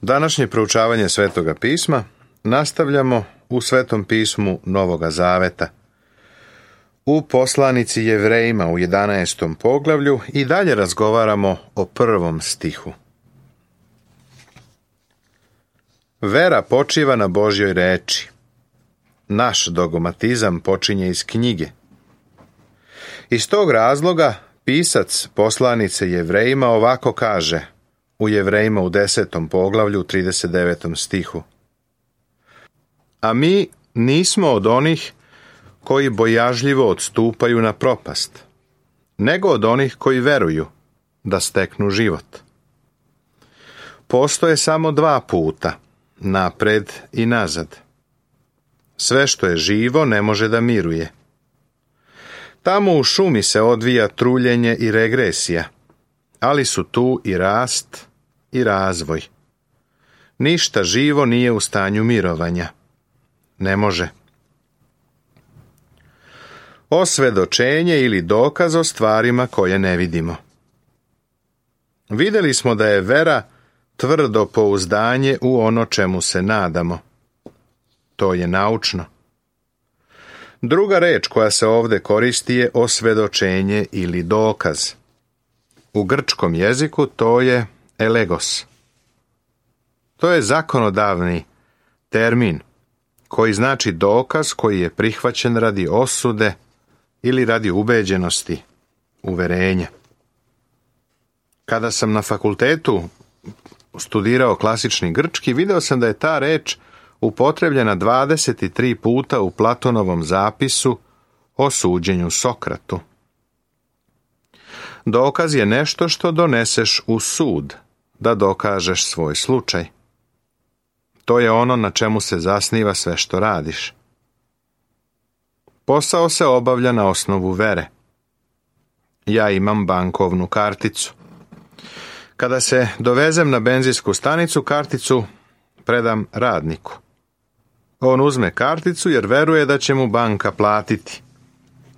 Današnje proučavanje Svetoga pisma nastavljamo u Svetom pismu Novoga Zaveta. U poslanici Jevrejima u 11. poglavlju i dalje razgovaramo o 1. stihu. Vera počiva na Božjoj reči. Naš dogmatizam počinje iz knjige. Iz tog razloga pisac poslanice Jevrejima ovako kaže u Jevrejima u 10. poglavlju 39. stihu. A mi nismo od onih koji bojažljivo odstupaju na propast, nego od onih koji veruju da steknu život. Postoje samo 2 puta, napred i nazad. Sve što je živo ne može da miruje. Tamo u šumi se odvija truljenje i regresija, ali su tu i rast i razvoj. Ništa živo nije u stanju mirovanja. Ne može. Osvedočenje ili dokaz o stvarima koje ne vidimo. Vidjeli smo da je vera tvrdo pouzdanje u ono čemu se nadamo. To je naučno. Druga reč koja se ovdje koristi je osvedočenje ili dokaz. U grčkom jeziku to je elegos. To je zakonodavni termin koji znači dokaz koji je prihvaćen radi osude ili radi ubeđenosti, uverenja. Kada sam na fakultetu studirao klasični grčki, video sam da je ta reč upotrebljena 23 puta u Platonovom zapisu o suđenju Sokratu. Dokaz je nešto što doneseš u sud, da dokažeš svoj slučaj. To je ono na čemu se zasniva sve što radiš. Posao se obavlja na osnovu vere. Ja imam bankovnu karticu. Kada se dovezem na benzinsku stanicu, karticu predam radniku. On uzme karticu jer veruje da će mu banka platiti.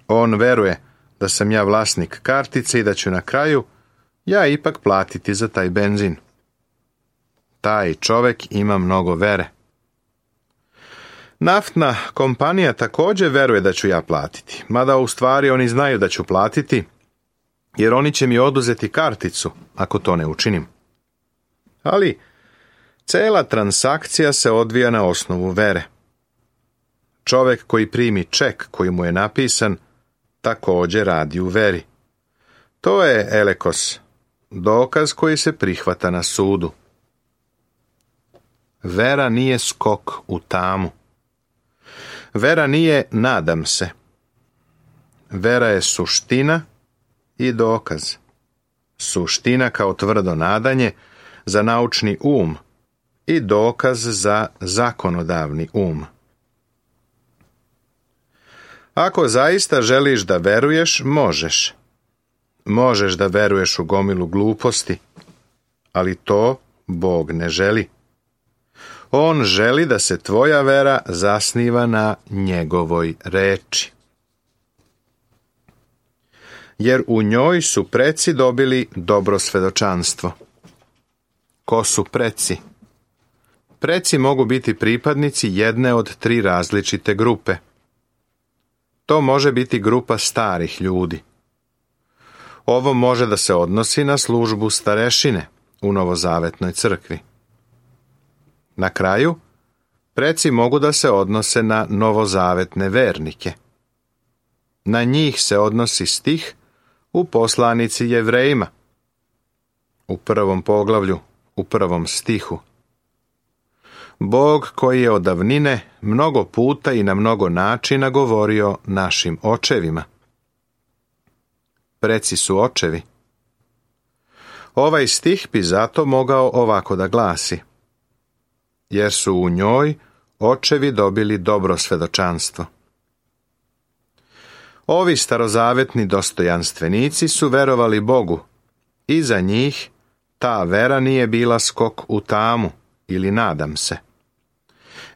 On veruje da sam ja vlasnik kartice i da ću na kraju ja ipak platiti za taj benzin. Taj čovjek ima mnogo vere. Naftna kompanija također veruje da ću ja platiti, mada u stvari oni znaju da ću platiti, jer oni će mi oduzeti karticu ako to ne učinim. Ali cela transakcija se odvija na osnovu vere. Čovjek koji primi ček koji mu je napisan također radi u veri. To je elekos, dokaz koji se prihvata na sudu. Vera nije skok u tamu. Vera nije nadam se. Vera je suština i dokaz. Suština kao tvrdo nadanje za naučni um i dokaz za zakonodavni um. Ako zaista želiš da veruješ, možeš. Možeš da veruješ u gomilu gluposti, ali to Bog ne želi. On želi da se tvoja vera zasniva na njegovoj reči. Jer u njoj su preci dobili dobro svedočanstvo. Ko su preci? Preci mogu biti pripadnici jedne od 3 različite grupe. To može biti grupa starih ljudi. Ovo može da se odnosi na službu starešine u Novozavetnoj crkvi. Na kraju, preci mogu da se odnose na novozavetne vernike. Na njih se odnosi stih u poslanici Jevrejima, u 1. poglavlju, u 1. stihu. Bog koji je od davnine mnogo puta i na mnogo načina govorio našim očevima. Preci su očevi. Ovaj stih bi zato mogao ovako da glasi. Jer su u njoj očevi dobili dobro svedočanstvo. Ovi starozavetni dostojanstvenici su verovali Bogu i za njih ta vera nije bila skok u tamu ili nadam se.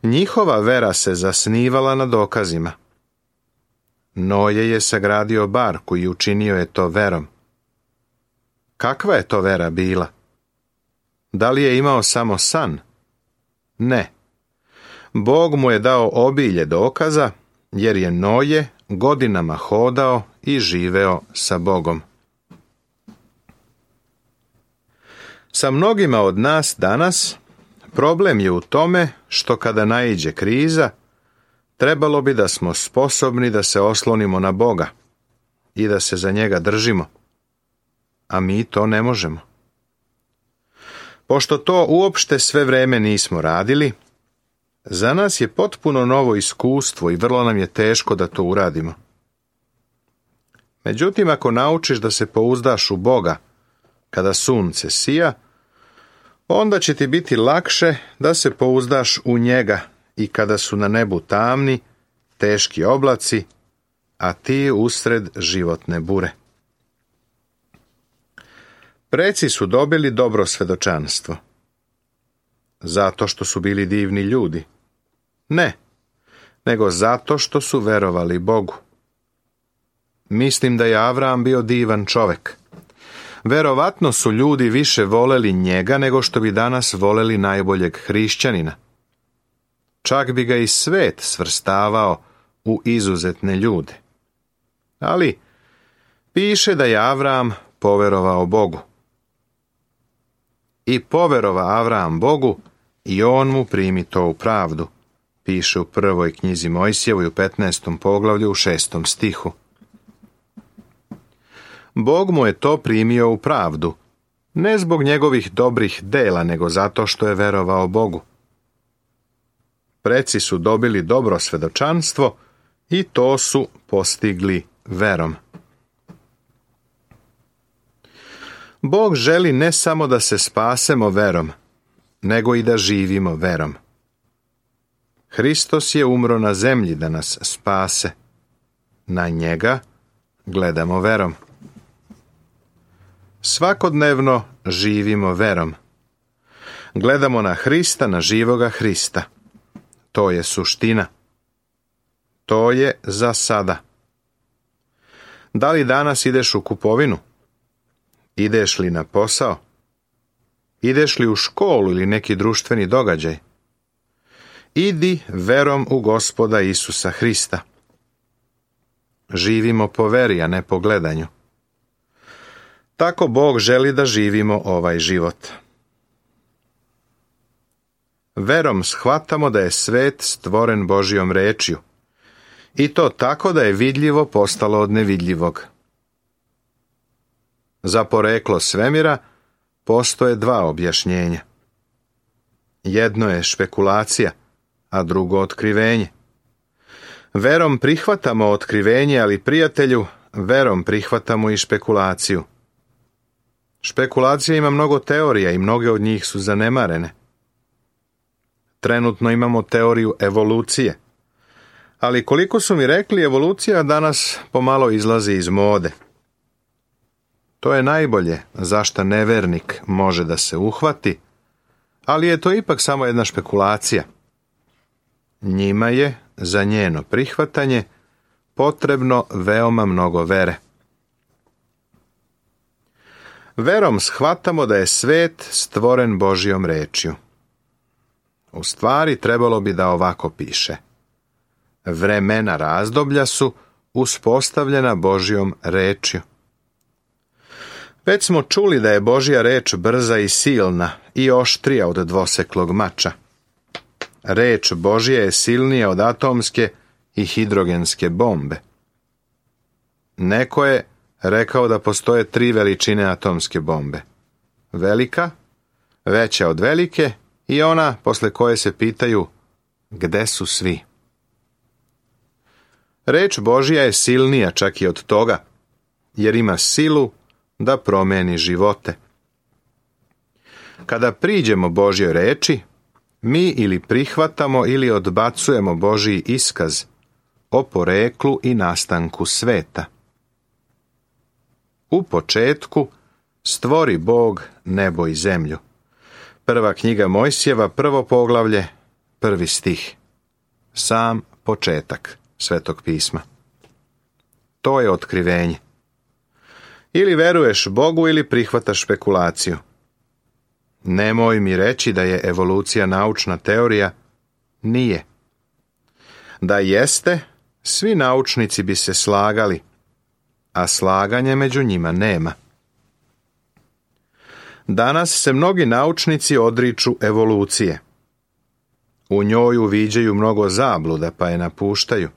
Njihova vera se zasnivala na dokazima. Noje je sagradio barku i učinio je to verom. Kakva je to vera bila? Da li je imao samo san? Ne. Bog mu je dao obilje dokaza, jer je Noje godinama hodao i živeo sa Bogom. Sa mnogima od nas danas problem je u tome što kada naiđe kriza, trebalo bi da smo sposobni da se oslonimo na Boga i da se za njega držimo, a mi to ne možemo. Pošto to uopšte sve vreme nismo radili, za nas je potpuno novo iskustvo i vrlo nam je teško da to uradimo. Međutim, ako naučiš da se pouzdaš u Boga kada sunce sija, onda će ti biti lakše da se pouzdaš u njega i kada su na nebu tamni, teški oblaci, a ti usred životne bure. Preci su dobili dobro svedočanstvo. Zato što su bili divni ljudi? Ne, nego zato što su verovali Bogu. Mislim da je Avram bio divan čovek. Verovatno su ljudi više voleli njega nego što bi danas voleli najboljeg hrišćanina. Čak bi ga i svet svrstavao u izuzetne ljude. Ali piše da je Avram poverovao Bogu. I poverova Avram Bogu i on mu primi to u pravdu, piše u prvoj knjizi Mojsijevoj u 15. poglavlju u 6. stihu. Bog mu je to primio u pravdu, ne zbog njegovih dobrih dela, nego zato što je verovao Bogu. Preci su dobili dobro svedočanstvo i to su postigli verom. Bog želi ne samo da se spasemo verom, nego i da živimo verom. Hristos je umro na zemlji da nas spase. Na njega gledamo verom. Svakodnevno živimo verom. Gledamo na Hrista, na živoga Hrista. To je suština. To je za sada. Da li danas ideš u kupovinu? Ideš li na posao? Ideš li u školu ili neki društveni događaj? Idi verom u Gospoda Isusa Hrista. Živimo po veri, a ne po gledanju. Tako Bog želi da živimo ovaj život. Verom shvatamo da je svet stvoren Božjom rečju, i to tako da je vidljivo postalo od nevidljivog. Za poreklo svemira postoje dva objašnjenja. Jedno je špekulacija, a drugo otkrivenje. Verom prihvatamo otkrivenje, ali prijatelju, verom prihvatamo i špekulaciju. Špekulacija ima mnogo teorija i mnoge od njih su zanemarene. Trenutno imamo teoriju evolucije. Ali koliko su mi rekli, evolucija danas pomalo izlazi iz mode. To je najbolje za šta nevernik može da se uhvati, ali je to ipak samo jedna špekulacija. Njima je za njeno prihvatanje potrebno veoma mnogo vere. Verom shvatamo da je svet stvoren Božjom rečju. U stvari trebalo bi da ovako piše. Vremena razdoblja su uspostavljena Božjom rečju. Već smo čuli da je Božja reč brza i silna i oštrija od dvoseklog mača. Reč Božja je silnija od atomske i hidrogenske bombe. Neko je rekao da postoje 3 veličine atomske bombe. Velika, veća od velike i ona posle koje se pitaju gde su svi. Reč Božja je silnija čak i od toga, jer ima silu da promeni živote. Kada priđemo Božjoj reči, mi ili prihvatamo ili odbacujemo Božji iskaz o poreklu i nastanku sveta. U početku stvori Bog nebo i zemlju. Prva knjiga Mojsijeva, 1. poglavlje, 1. stih. Sam početak Svetog pisma. To je otkrivenje. Ili veruješ Bogu ili prihvataš špekulaciju. Nemoj mi reći da je evolucija naučna teorija. Nije. Da jeste, svi naučnici bi se slagali, a slaganje među njima nema. Danas se mnogi naučnici odriču evolucije. U njoj uviđaju mnogo zabluda, pa je napuštaju.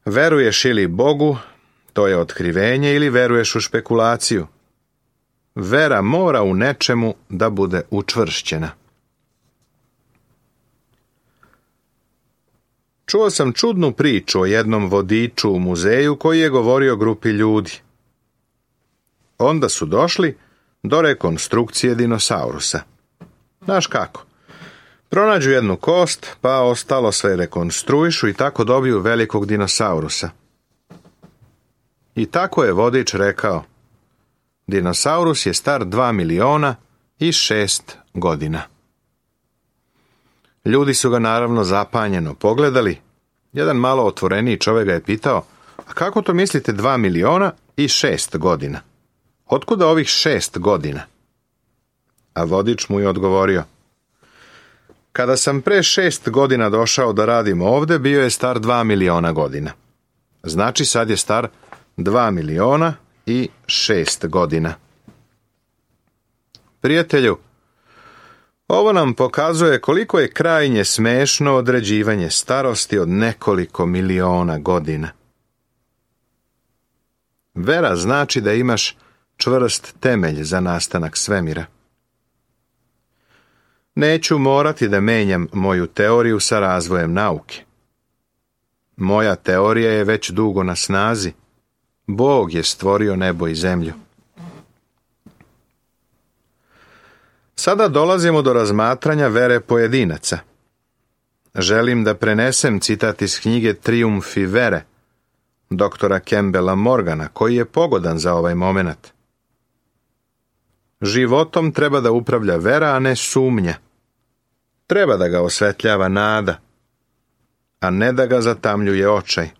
Veruješ ili Bogu, to je otkrivenje, ili veruješ u špekulaciju. Vera mora u nečemu da bude učvršćena. Čuo sam čudnu priču o jednom vodiču u muzeju koji je govorio grupi ljudi. Onda su došli do rekonstrukcije dinosaurusa. Znaš kako? Pronađu jednu kost, pa ostalo sve rekonstruišu i tako dobiju velikog dinosaurusa. I tako je vodič rekao: dinosaurus je star 2.006.000 godina. Ljudi su ga naravno zapanjeno pogledali. Jedan malo otvoreniji čovjek ga je pitao: a kako to mislite 2.006.000 godina? Otkuda ovih 6 godina? A vodič mu je odgovorio: kada sam pre 6 godina došao da radim ovdje, bio je star 2.000.000 godina. Znači sad je star 2.006.000 godina. Prijatelju, ovo nam pokazuje koliko je krajnje smešno određivanje starosti od nekoliko miliona godina. Vera znači da imaš čvrst temelj za nastanak svemira. Neću morati da menjam moju teoriju sa razvojem nauke. Moja teorija je već dugo na snazi. Bog je stvorio nebo i zemlju. Sada dolazimo do razmatranja vere pojedinaca. Želim da prenesem citat iz knjige Trijumfi vere, doktora Campbella Morgana, koji je pogodan za ovaj moment. Životom treba da upravlja vera, a ne sumnja. Treba da ga osvetljava nada, a ne da ga zatamljuje očaj.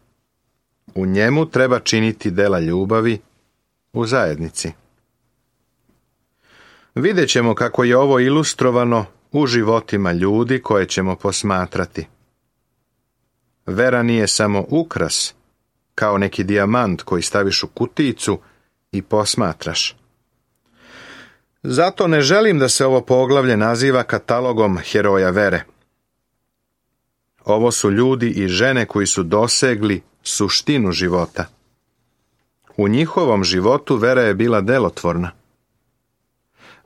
U njemu treba činiti dela ljubavi u zajednici. Vidjet ćemo kako je ovo ilustrovano u životima ljudi koje ćemo posmatrati. Vera nije samo ukras, kao neki dijamant koji staviš u kutijicu i posmatraš. Zato ne želim da se ovo poglavlje naziva katalogom heroja vere. Ovo su ljudi i žene koji su dosegli suštinu života. U njihovom životu vera je bila delotvorna.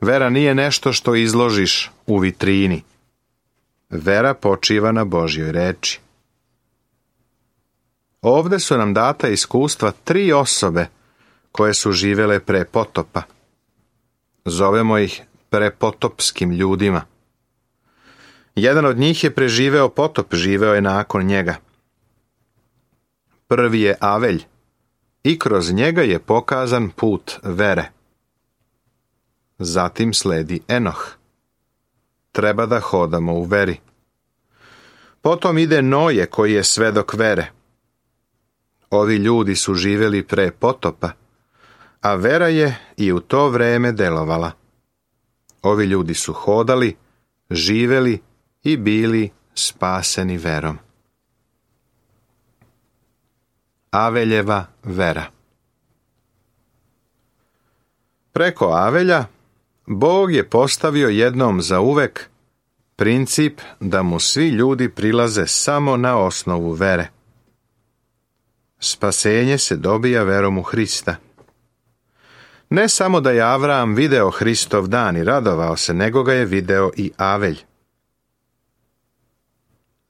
Vera nije nešto što izložiš u vitrini. Vera počiva na Božjoj reči. Ovde su nam data iskustva 3 osobe koje su živele pre potopa. Zovemo ih prepotopskim ljudima. Jedan od njih je preživeo potop, živeo je nakon njega. Prvi je Avelj i kroz njega je pokazan put vere. Zatim sledi Enoh. Treba da hodamo u veri. Potom ide Noje koji je svedok vere. Ovi ljudi su živjeli pre potopa, a vera je i u to vreme delovala. Ovi ljudi su hodali, živjeli i bili spaseni verom. Aveljeva vera. Preko Avelja Bog je postavio jednom zauvek princip da mu svi ljudi prilaze samo na osnovu vere. Spasenje se dobija verom u Hrista. Ne samo da je Avram video Hristov dan i radovao se, nego ga je video i Avelj.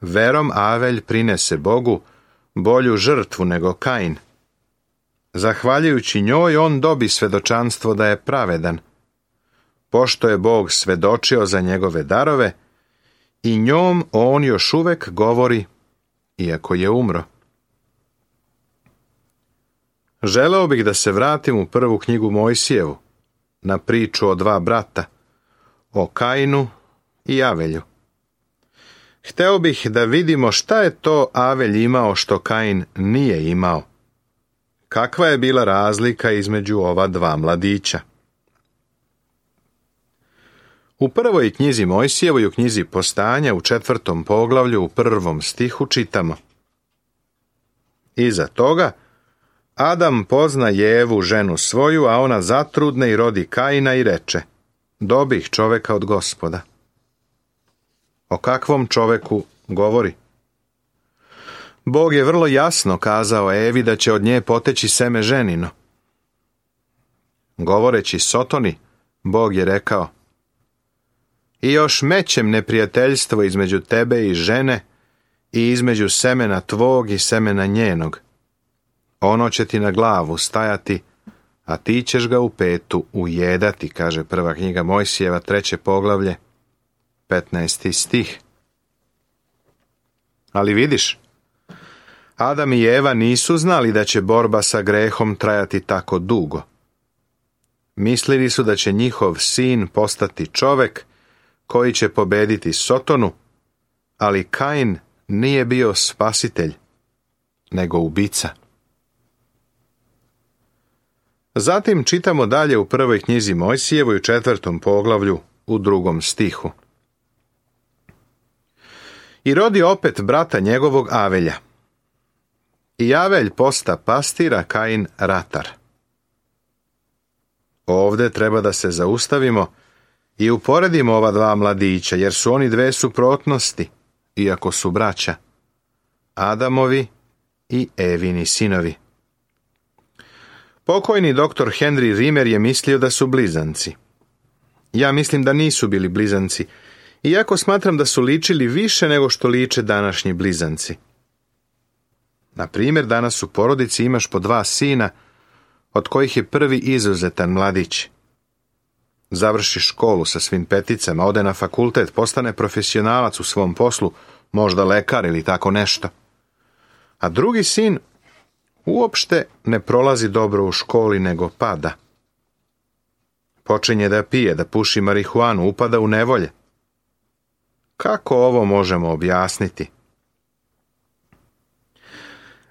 Verom Avelj prinese Bogu bolju žrtvu nego Kain. Zahvaljujući njoj on dobi svedočanstvo da je pravedan, pošto je Bog svedočio za njegove darove i njom on još uvek govori, iako je umro. Želeo bih da se vratim u prvu knjigu Mojsijevu, na priču o 2 brata, o Kainu i Avelju. Hteo bih da vidimo šta je to Avelj imao što Kain nije imao. Kakva je bila razlika između ova 2 mladića? U prvoj knjizi Mojsijevoj, u knjizi Postanja, u 4. poglavlju, u 1. stihu čitamo: Iza toga Adam pozna Jevu, ženu svoju, a ona zatrudne i rodi Kaina i reče: Dobih čoveka od Gospoda. O kakvom čoveku govori? Bog je vrlo jasno kazao Evi da će od nje poteći seme ženino. Govoreći Sotoni, Bog je rekao: I još mećem neprijateljstvo između tebe i žene i između semena tvog i semena njenog. Ono će ti na glavu stajati, a ti ćeš ga u petu ujedati, kaže prva knjiga Mojsijeva, 3. poglavlje, 15. stih. Ali vidiš, Adam i Eva nisu znali da će borba sa grehom trajati tako dugo. Mislili su da će njihov sin postati čovek koji će pobediti Sotonu, ali Kain nije bio spasitelj, nego ubica. Zatim čitamo dalje u prvoj knjizi Mojsijevoj, u 4. poglavlju, u 2. stihu. I rodi opet brata njegovog Avelja. I Avelj posta pastira, Kain ratar. Ovde treba da se zaustavimo i uporedimo ova dva mladića, jer su oni dve suprotnosti, iako su braća, Adamovi i Evini sinovi. Pokojni doktor Henry Rimmer je mislio da su blizanci. Ja mislim da nisu bili blizanci, iako smatram da su ličili više nego što liče današnji blizanci. Na primjer, danas u porodici imaš po 2 sina, od kojih je prvi izuzetan mladić. Završi školu sa svim peticama, ode na fakultet, postane profesionalac u svom poslu, možda lekar ili tako nešto. A drugi sin uopšte ne prolazi dobro u školi, nego pada. Počinje da pije, da puši marihuanu, upada u nevolje. Kako ovo možemo objasniti?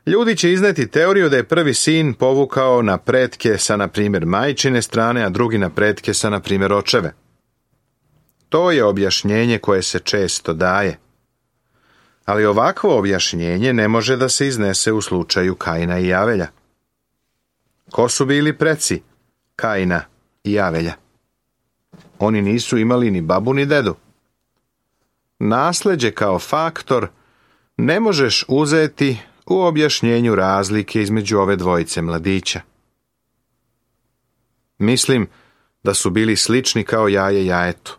Ljudi će izneti teoriju da je prvi sin povukao na pretke sa, na primjer, majčine strane, a drugi na pretke sa, na primjer, očeve. To je objašnjenje koje se često daje. Ali ovakvo objašnjenje ne može da se iznese u slučaju Kaina i Avelja. Ko su bili preci Kaina i Avelja? Oni nisu imali ni babu ni dedu. Nasleđe kao faktor ne možeš uzeti u objašnjenju razlike između ove dvojice mladića. Mislim da su bili slični kao jaje jajetu.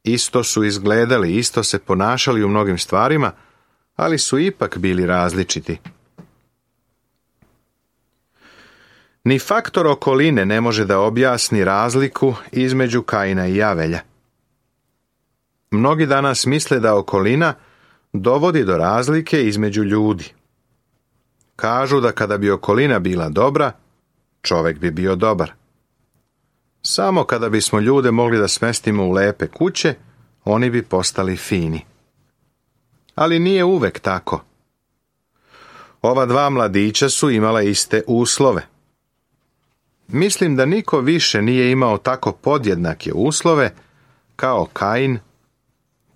Isto su izgledali, isto se ponašali u mnogim stvarima, ali su ipak bili različiti. Ni faktor okoline ne može da objasni razliku između Kaina i Avelja. Mnogi danas misle da okolina dovodi do razlike između ljudi. Kažu da kada bi okolina bila dobra, čovjek bi bio dobar. Samo kada bismo ljude mogli da smestimo u lepe kuće, oni bi postali fini. Ali nije uvek tako. Ova dva mladića su imala iste uslove. Mislim da niko više nije imao tako podjednake uslove kao Kain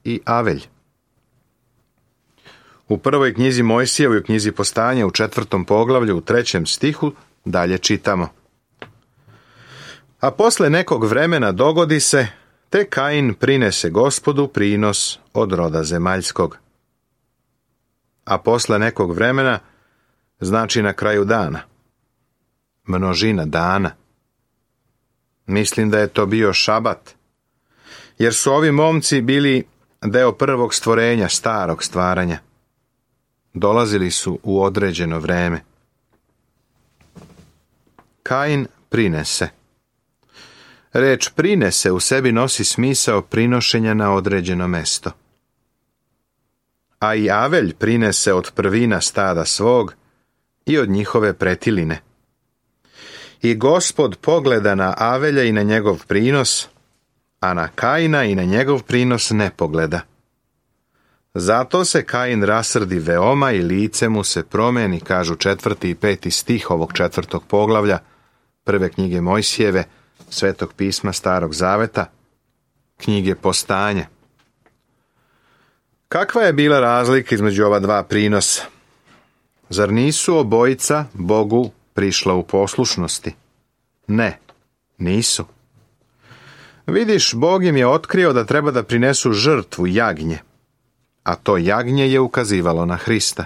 i Avelj. U prvoj knjizi Mojsijevoj, u knjizi Postanja, u 4. poglavlju, u 3. stihu, dalje čitamo: A posle nekog vremena dogodi se, te Kain prinese Gospodu prinos od roda zemaljskog. A posle nekog vremena znači na kraju dana. Množina dana. Mislim da je to bio šabat, jer su ovi momci bili deo prvog stvorenja, starog stvaranja. Dolazili su u određeno vreme. Kain prinese. Reč prinese u sebi nosi smisao prinošenja na određeno mesto. A i Avelj prinese od prvina stada svog i od njihove pretiline. I Gospod pogleda na Avelja i na njegov prinos, a na Kaina i na njegov prinos ne pogleda. Zato se Kain rasrdi veoma i lice mu se promeni, kažu 4. i 5. stih ovog 4. poglavlja prve knjige Mojsijeve, Svetog pisma Starog zaveta, knjige Postanja. Kakva je bila razlika između ova dva prinosa? Zar nisu obojica Bogu prišla u poslušnosti? Ne, nisu. Vidiš, Bog im je otkrio da treba da prinesu žrtvu, jagnje, a to jagnje je ukazivalo na Hrista.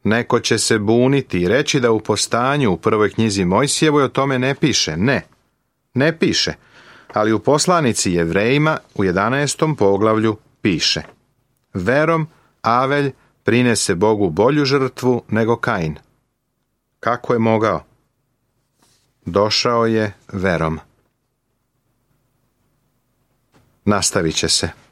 Neko će se buniti i reći da u Postanju u prvoj knjizi Mojsijevoj o tome ne piše. Ne piše, ali u poslanici Jevrejima u 11. poglavlju piše: verom Avelj prinese Bogu bolju žrtvu nego Kain. Kako je mogao? Došao je verom. Nastavit će se.